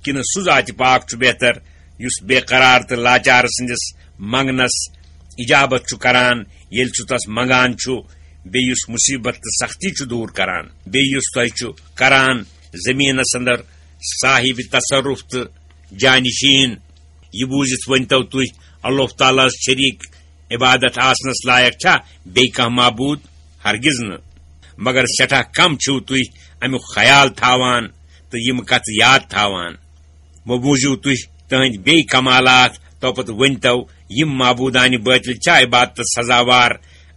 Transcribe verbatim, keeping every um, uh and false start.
کِنہٕ سُہ ذاتِ پاک چھُ بہتر، یُس بے قرار تہٕ لاچار سٕنٛدِس منٛگنس اجابت چھُ کران، ییٚلہِ سُہ تس منٛگان چھُ، بیٚیہِ یُس مُصیبت تہٕ سختی چھُ دوٗر کران، بیٚیہِ یُس تۄہہِ چھُ کران زٔمیٖنس اندر صاحب تصرف تہٕ جانشین؟ یہِ بوٗزِتھ ؤنۍتو تُہۍ، اللہ تعالیٰ ہس شریٖک عبادت آسنس لایق چھا بیٚیہِ کانٛہہ معبوٗد؟ ہرگز نہٕ۔ مگر سٮ۪ٹھاہ کم چھِو تُہۍ امیُک خیال تھاوان تہٕ یِم کتھٕ یاد تھاوان۔ وۄنۍ بوٗزِو تُہۍ تٕہنٛدۍ بیٚیہِ کمالات، توپتہٕ ؤنۍتو، یِم معبوٗدانہِ بٲطِل چھا عبادتس سزاوار؟